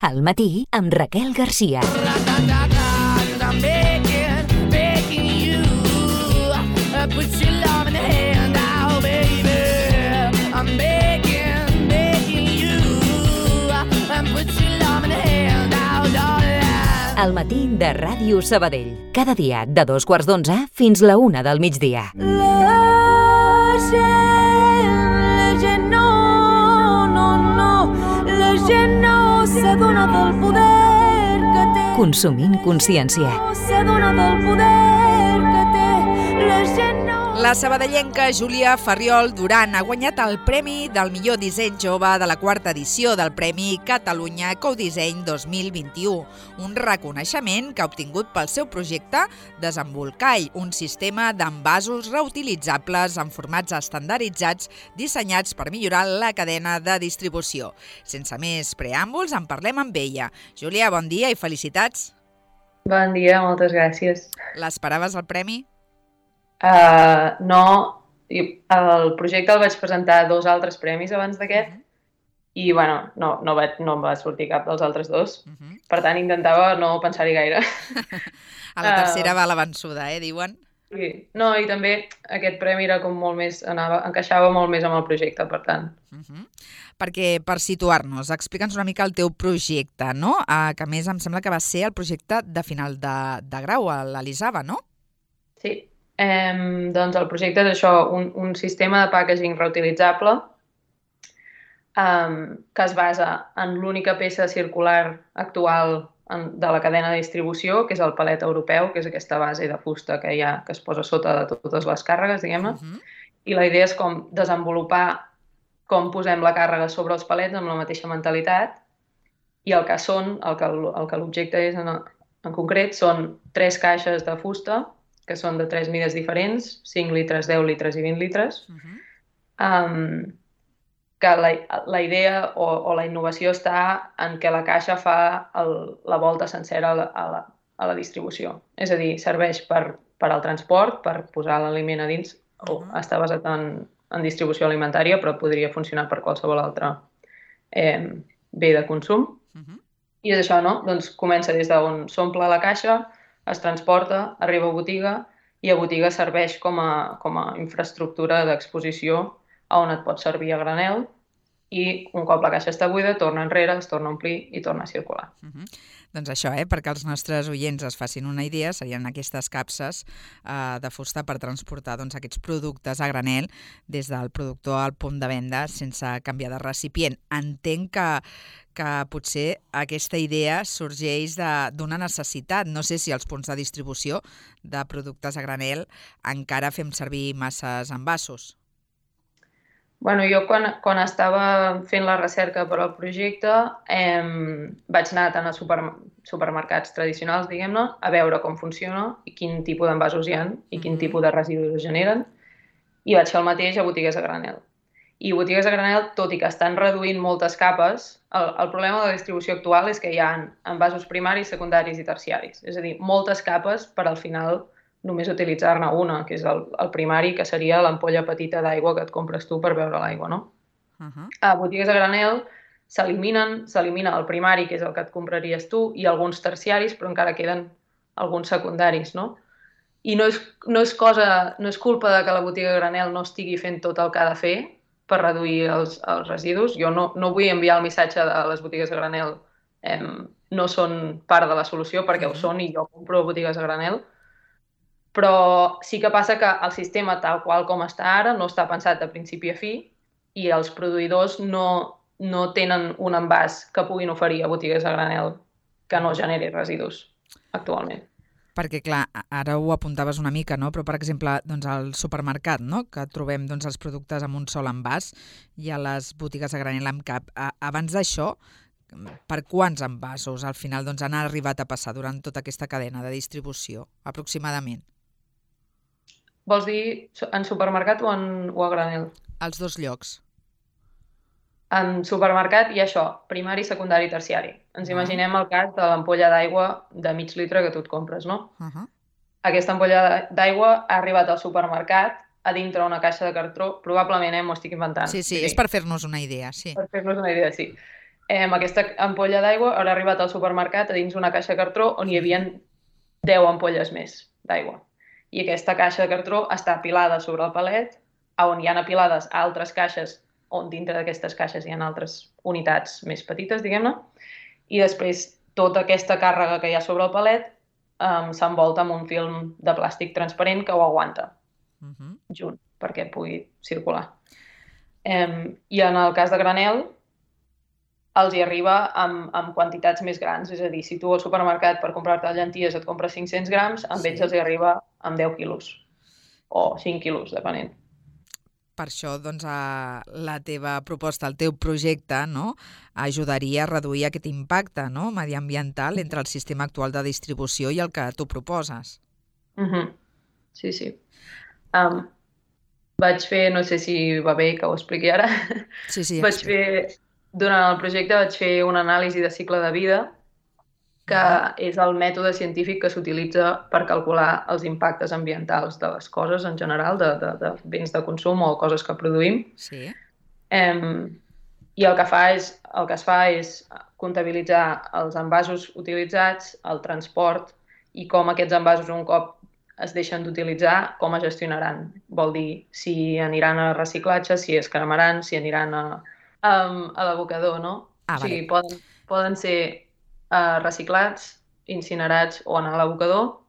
Al matí amb Raquel Garcia. I'm begging you, put your love in the hand now, baby. I'm begging you, put your love in the hand now, darling. Al matí de Ràdio Sabadell. Cada dia de 2:15 fins la 1 del migdia. La gent no s'adona del poder que té. Consumint consciència. No s'adona del poder que té. La gent no... La sabadellenca Júlia Farriol Duran ha guanyat el Premi del millor disseny jove de la 4ª edició del Premi Catalunya Codisseny 2021, un reconeixement que ha obtingut pel seu projecte Desembolcall, un sistema d'envasos reutilitzables en formats estandarditzats dissenyats per millorar la cadena de distribució. Sense més preàmbuls, en parlem amb ella. Júlia, bon dia i felicitats. Bon dia, moltes gràcies. L'esperaves el premi? No, el projecte el vaig presentar a 2 altres premis abans d'aquest i bueno, no va sortir cap dels altres 2, per tant intentava no pensar-hi gaire. A la tercera va la vençuda, diuen? Sí. No, i també aquest premi era com molt més, encaixava molt més amb el projecte, per tant. Perquè, per situar-nos, explica'ns una mica el teu projecte, no? Que a més em sembla que va ser el projecte de final de grau a l'Elisava, no? Sí. Doncs el projecte és això, un sistema de packaging reutilitzable que es basa en l'única peça circular actual de la cadena de distribució, que és el palet europeu, que és aquesta base de fusta que es posa sota de totes les càrregues, diguem-ne. I la idea és com desenvolupar com posem la càrrega sobre els palets amb la mateixa mentalitat, i el que l'objecte és en concret són 3 caixes de fusta que són de 3 mides diferents, 5 litres, 10 litres i 20 litres, que la idea o la innovació està en que la caixa fa la volta sencera a la distribució. És a dir, serveix per al transport, per posar l'aliment a dins, o està basat en distribució alimentària, però podria funcionar per qualsevol altre bé de consum. I és això, no? Doncs comença des d'on s'omple la caixa, es transporta, arriba a botiga i a botiga serveix com a infraestructura d'exposició on et pot servir a granel i un cop la caixa està buida torna enrere, es torna a omplir i torna a circular. Doncs això, perquè els nostres oients es facin una idea, serien aquestes capses de fusta per transportar aquests productes a granel des del productor al punt de venda sense canviar de recipient. Entenc que potser aquesta idea sorgeix d'una necessitat. No sé si als punts de distribució de productes a granel encara fem servir masses envasos. Bueno, jo quan estava fent la recerca per al projecte vaig anar tant a supermercats tradicionals, diguem-ne, a veure com funciona i quin tipus d'envasos hi ha i quin tipus de residus es generen, i vaig fer el mateix a botigues a granel. I botigues a granel, tot i que estan reduint moltes capes, el problema de la distribució actual és que hi ha envasos primaris, secundaris i terciaris. És a dir, moltes capes per al final només utilitzar-ne una, que és el primari, que seria l'ampolla petita d'aigua que et compres tu per beure l'aigua, no? A botigues a granel s'elimina el primari, que és el que et compraries tu, i alguns terciaris, però encara queden alguns secundaris, no? I no és culpa de que la botiga a granel no estigui fent tot el que ha de fer per reduir els residus. Jo no vull enviar el missatge de les botigues a granel no són part de la solució, perquè ho són i jo compro botigues a granel, però sí que passa que el sistema tal qual com està ara no està pensat de principi a fi i els produïdors no tenen un envàs que puguin oferir a botigues a granel que no generi residus actualment. Perquè, clar, ara ho apuntaves una mica, no? Però, per exemple, al supermercat, no? Que trobem els productes amb un sol envàs i a les botigues a granel amb cap. Abans d'això, per quants envasos al final han arribat a passar durant tota aquesta cadena de distribució, aproximadament? Vols dir en supermercat o a granel? Als 2 llocs. En supermercat hi ha això, primari, secundari i terciari. Ens imaginem el cas de l'ampolla d'aigua de mig litre que tu et compres, no? Aquesta ampolla d'aigua ha arribat al supermercat a dintre una caixa de cartró, probablement m'ho estic inventant. Sí, és per fer-nos una idea, sí. Per fer-nos una idea, sí. Aquesta ampolla d'aigua haurà arribat al supermercat a dins una caixa de cartró on hi havia 10 ampolles més d'aigua. I aquesta caixa de cartró està apilada sobre el palet, on hi ha apilades altres caixes, on dintre d'aquestes caixes hi ha altres unitats més petites, diguem-ne, i després tota aquesta càrrega que hi ha sobre el palet s'envolta amb un film de plàstic transparent que ho aguanta junt perquè pugui circular. I en el cas de granel, els hi arriba amb quantitats més grans. És a dir, si tu al supermercat per comprar-te llenties et compres 500 grams, amb ells els hi arriba amb 10 quilos o 5 quilos, depenent. Per això, doncs, la teva proposta, el teu projecte, no, ajudaria a reduir aquest impacte, no, mediambiental entre el sistema actual de distribució i el que tu proposes. Sí, sí. Vaig fer, no sé si va bé que ho expliqui ara, Sí. Durant el projecte vaig fer una anàlisi de cicle de vida, que és el mètode científic que s'utilitza per calcular els impactes ambientals de les coses en general, de béns de consum o coses que produïm. Sí. I el que es fa és comptabilitzar els envasos utilitzats, el transport i com aquests envasos un cop es deixen d'utilitzar, com es gestionaran. Vol dir si aniran a reciclatge, si es cremaran, si aniran a l'abocador, no? O sigui, poden ser reciclats, incinerats o anar a l'abocador.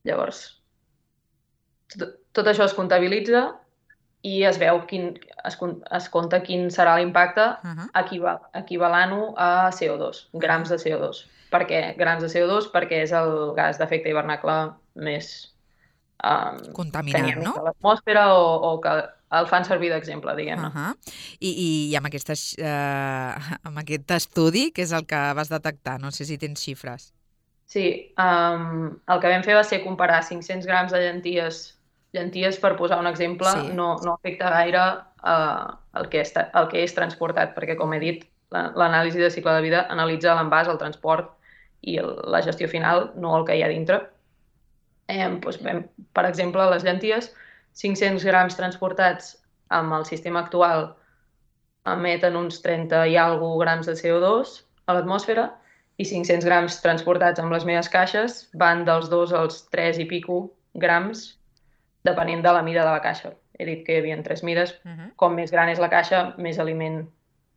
Llavors, tot això es comptabilitza i es veu es compta quin serà l'impacte equivalent-ho a CO2, grams de CO2. Per què grams de CO2? Perquè és el gas d'efecte hivernacle més contaminant, no? A l'atmosfera o que el fan servir d'exemple, diguem-ne. I amb aquest estudi, què és el que vas detectar? No sé si tens xifres. Sí, el que vam fer va ser comparar 500 grams de llenties, per posar un exemple, no afecta gaire el que és transportat, perquè, com he dit, l'anàlisi de cicle de vida analitza l'envàs, el transport i la gestió final, no el que hi ha dintre. Per exemple, les llenties, 500 grams transportats amb el sistema actual emeten uns 30 i alguna grams de CO2 a l'atmosfera i 500 grams transportats amb les meves caixes van dels 2 als 3 i pico grams depenent de la mida de la caixa. He dit que hi havia 3 mides. Com més gran és la caixa, més aliment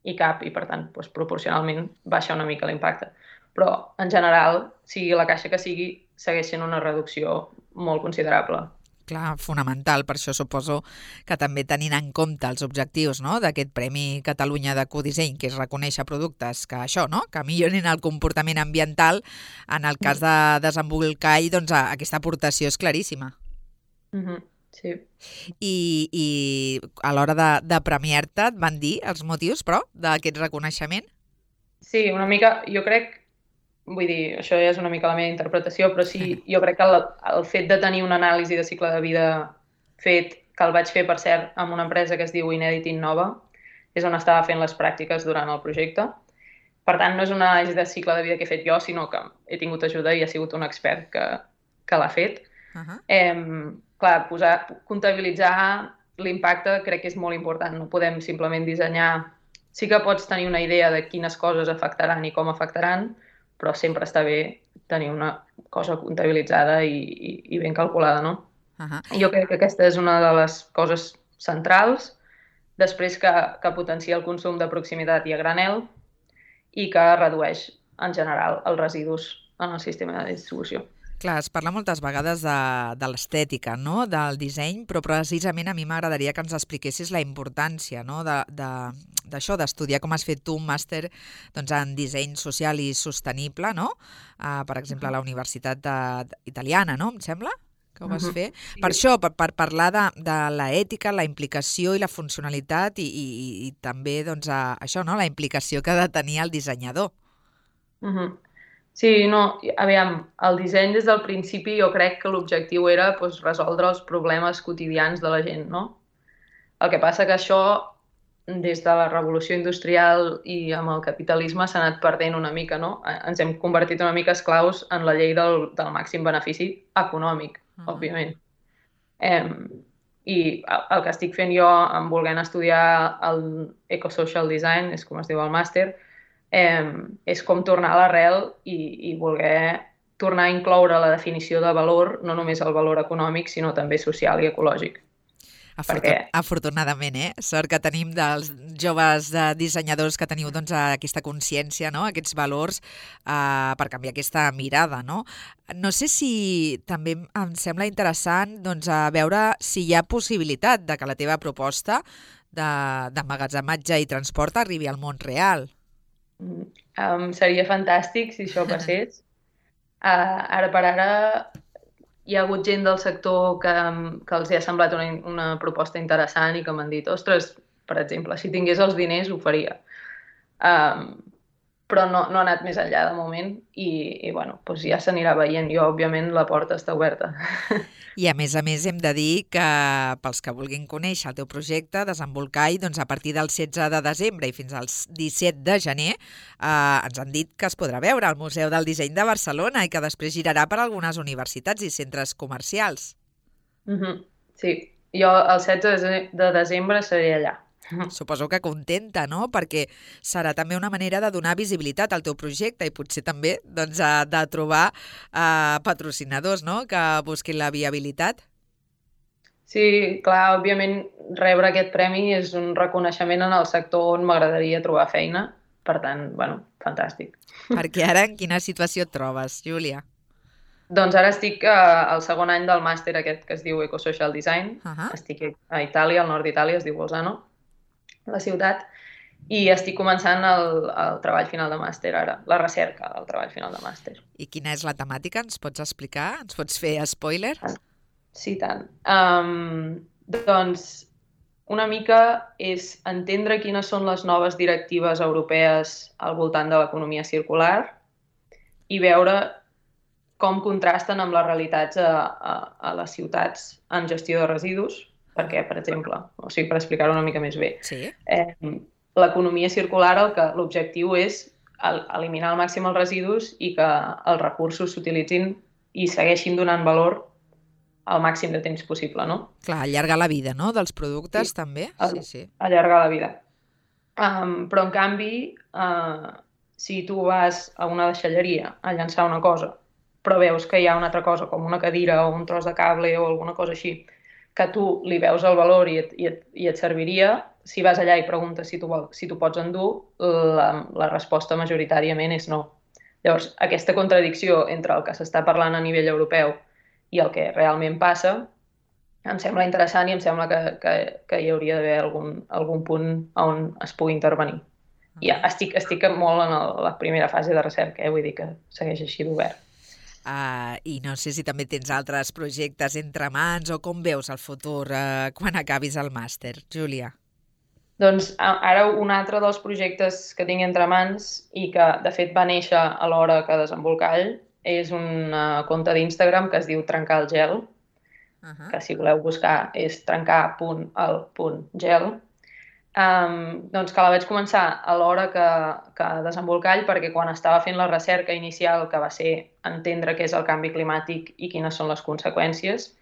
hi cap i, per tant, proporcionalment baixa una mica l'impacte. Però, en general, sigui la caixa que sigui, segueix sent una reducció molt considerable. Clar, fonamental. Per això suposo que també tenint en compte els objectius, no?, d'aquest Premi Catalunya d'Ecodisseny, que és reconèixer productes que això, no?, que millorin el comportament ambiental, en el cas de desembolcall, doncs aquesta aportació és claríssima. Sí. I a l'hora de premiar-te et van dir els motius, però, d'aquest reconeixement? Sí, una mica, jo crec, vull dir, això ja és una mica la meva interpretació, però sí, jo crec que el fet de tenir una anàlisi de cicle de vida fet, que el vaig fer, per cert, amb una empresa que es diu Inèdit Innova, és on estava fent les pràctiques durant el projecte. Per tant, no és una anàlisi de cicle de vida que he fet jo, sinó que he tingut ajuda i ha sigut un expert que l'ha fet. Clar, comptabilitzar l'impacte crec que és molt important. No podem simplement dissenyar... Sí que pots tenir una idea de quines coses afectaran i com afectaran, però sempre està bé tenir una cosa comptabilitzada i ben calculada, no? Jo crec que aquesta és una de les coses centrals, després que potencia el consum de proximitat i a granel i que redueix, en general, els residus en el sistema de distribució. Clar, es parla moltes vegades de l'estètica, no?, del disseny, però precisament a mi m'agradaria que ens expliquessis la importància, no?, d'això, d'estudiar com has fet tu un màster en disseny social i sostenible, no?, per exemple, a la Universitat Italiana, no?, em sembla que ho vas fer. Per això, per parlar de l'ètica, la implicació i la funcionalitat i també, doncs, això, no?, la implicació que ha de tenir el dissenyador. Sí, no, aviam, el disseny des del principi jo crec que l'objectiu era resoldre els problemes quotidians de la gent, no? El que passa que això, des de la revolució industrial i amb el capitalisme, s'ha anat perdent una mica, no? Ens hem convertit una mica esclaus en la llei del màxim benefici econòmic, òbviament. i el que estic fent jo en volent estudiar el Ecosocial Design, és com es diu el màster, és com tornar a l'arrel i voler tornar a incloure la definició de valor, no només el valor econòmic, sinó també social i ecològic. Afortunadament, sort que tenim dels joves dissenyadors que teniu doncs, aquesta consciència, no? Aquests valors per canviar aquesta mirada. No sé si també em sembla interessant doncs, veure si hi ha possibilitat de que la teva proposta d'emmagatzematge i transport arribi al món real. Seria fantàstic si això passés. Ara per ara hi ha hagut gent del sector que els ha semblat una proposta interessant i que m'han dit, ostres, per exemple, si tingués els diners ho faria. Però no ha anat més enllà de moment i bueno, doncs ja s'anirà veient. Jo, òbviament, la porta està oberta. I a més hem de dir que pels que vulguin conèixer el teu projecte, Desembolcall, doncs a partir del 16 de desembre i fins al 17 de gener ens han dit que es podrà veure al Museu del Disseny de Barcelona i que després girarà per algunes universitats i centres comercials. Sí, jo el 16 de desembre seré allà. Suposo que contenta, no? Perquè serà també una manera de donar visibilitat al teu projecte i potser també doncs, de trobar patrocinadors, no? Que busquin la viabilitat. Sí, clar, òbviament rebre aquest premi és un reconeixement en el sector on m'agradaria trobar feina. Per tant, bueno, fantàstic. Perquè ara en quina situació et trobes, Júlia? Doncs ara estic al segon any del màster aquest que es diu Ecosocial Design. Estic a Itàlia, al nord d'Itàlia, es diu Bolzano, la ciutat, i estic començant el treball final de màster ara, la recerca del treball final de màster. I quina és la temàtica? Ens pots explicar? Ens pots fer spoiler? Sí, tant. Doncs una mica és entendre quines són les noves directives europees al voltant de l'economia circular i veure com contrasten amb les realitats a les ciutats en gestió de residus, perquè, per exemple, per explicar-ho una mica més bé, l'economia circular l'objectiu és eliminar al màxim els residus i que els recursos s'utilitzin i segueixin donant valor al màxim de temps possible, no? Clar, allargar la vida, no?, dels productes també. Sí. Allargar la vida. Però, en canvi, si tu vas a una deixalleria a llançar una cosa, però veus que hi ha una altra cosa, com una cadira o un tros de cable o alguna cosa així, que tu li veus el valor i et serviria, si vas allà i preguntes si tu pots endur, la resposta majoritàriament és no. Llavors, aquesta contradicció entre el que s'està parlant a nivell europeu i el que realment passa em sembla interessant i em sembla que hi hauria d'haver algun punt on es pugui intervenir. I estic molt en la primera fase de recerca, vull dir que segueix així d'obert. I no sé si també tens altres projectes entre mans o com veus el futur quan acabis el màster, Júlia? Doncs ara un altre dels projectes que tinc entre mans i que de fet va néixer alhora que Desembolcall és un compte d'Instagram que es diu Trencar el Gel, que si voleu buscar és trencar.el.gel. Doncs que la vaig començar alhora que Desembolcall perquè quan estava fent la recerca inicial, que va ser entendre què és el canvi climàtic i quines són les conseqüències,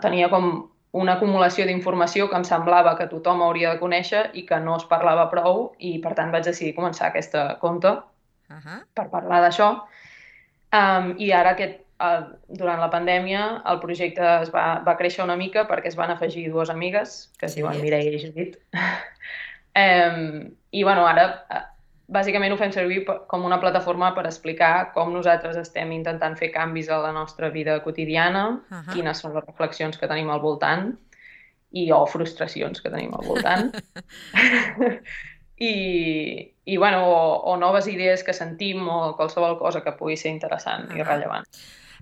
tenia com una acumulació d'informació que em semblava que tothom hauria de conèixer i que no es parlava prou i per tant vaig decidir començar aquest compte per parlar d'això. I ara durant la pandèmia el projecte va créixer una mica perquè es van afegir dues amigues que es diuen Mireia i Judit. I ara bàsicament ho fem servir com una plataforma per explicar com nosaltres estem intentant fer canvis a la nostra vida quotidiana, quines són les reflexions que tenim al voltant o frustracions que tenim al voltant. O noves idees que sentim o qualsevol cosa que pugui ser interessant i rellevant.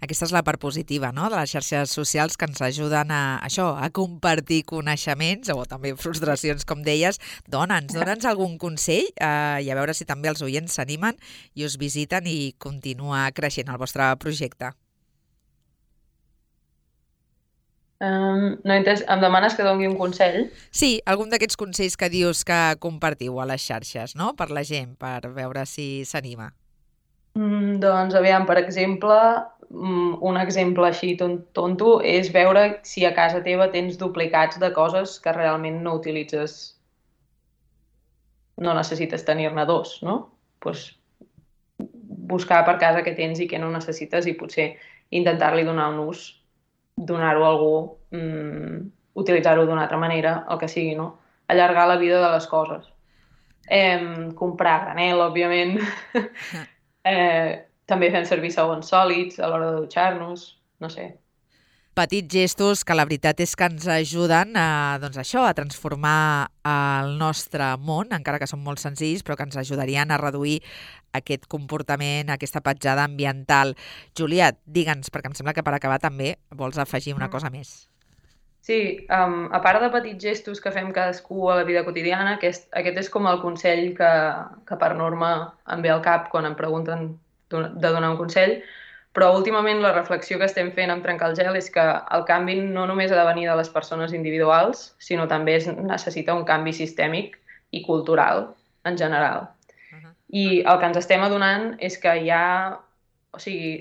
Aquesta és la part positiva, no?, de les xarxes socials que ens ajuden a compartir coneixements o també frustracions, com deies. Dona'ns algun consell i a veure si també els oients s'animen i us visiten i continua creixent el vostre projecte. No he entès. Em demanes que doni un consell? Sí, algun d'aquests consells que dius que compartiu a les xarxes, no?, per la gent, per veure si s'anima. Doncs, aviam, per exemple, un exemple així tonto és veure si a casa teva tens duplicats de coses que realment no utilitzes, no necessites tenir-ne dos, no? Pues buscar per casa què tens i què no necessites i potser intentar-li donar un ús, donar-ho a algú, utilitzar-ho d'una altra manera, el que sigui, no? Allargar la vida de les coses. Comprar granel, òbviament. També fem servir sabons sòlids a l'hora de dutxar-nos, no sé. Petits gestos que la veritat és que ens ajuden a transformar el nostre món, encara que són molt senzills, però que ens ajudarien a reduir aquest comportament, aquesta petjada ambiental. Júlia, digue'ns, perquè em sembla que per acabar també vols afegir una cosa més. Sí, a part de petits gestos que fem cadascú a la vida quotidiana, aquest és com el consell que per norma em ve al cap quan em pregunten de donar un consell, però últimament la reflexió que estem fent amb Trencar el Gel és que el canvi no només ha de venir de les persones individuals, sinó també necessita un canvi sistèmic i cultural en general. I el que ens estem adonant és que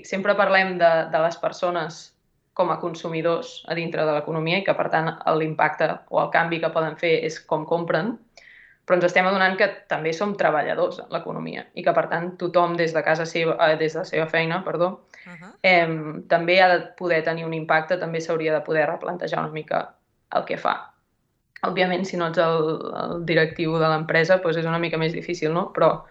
sempre parlem de les persones com a consumidors a dintre de l'economia i que, per tant, l'impacte o el canvi que poden fer és com compren, però ens estem adonant que també som treballadors en l'economia i que, per tant, tothom des de la seva feina, també ha de poder tenir un impacte, també s'hauria de poder replantejar una mica el que fa. Òbviament, si no ets el directiu de l'empresa, doncs és una mica més difícil, no? Però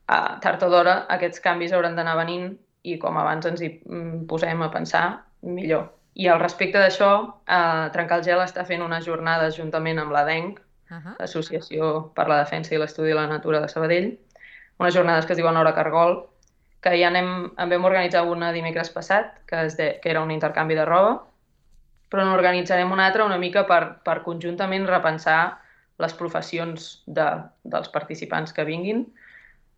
tard o d'hora aquests canvis hauran d'anar venint i com abans ens hi posem a pensar, millor. I al respecte d'això, Trencar el Gel està fent unes jornades juntament amb l'ADENC, l'Associació per la Defensa i l'Estudi de la Natura de Sabadell, unes jornades que es diuen Hora Cargol, que ja en vam organitzar una dimecres passat, que era un intercanvi de roba, però n'organitzarem una altra una mica per conjuntament repensar les professions dels participants que vinguin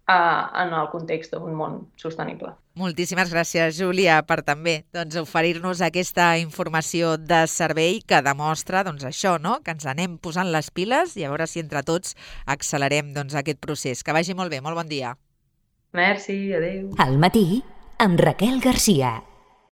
en el context d'un món sostenible. Moltíssimes gràcies, Júlia, per també oferir-nos aquesta informació de servei que demostra això, no? Que ens anem posant les piles i a veure si entre tots accelerem aquest procés. Que vagi molt bé, molt bon dia. Merci, adéu. Al matí, amb Raquel Garcia.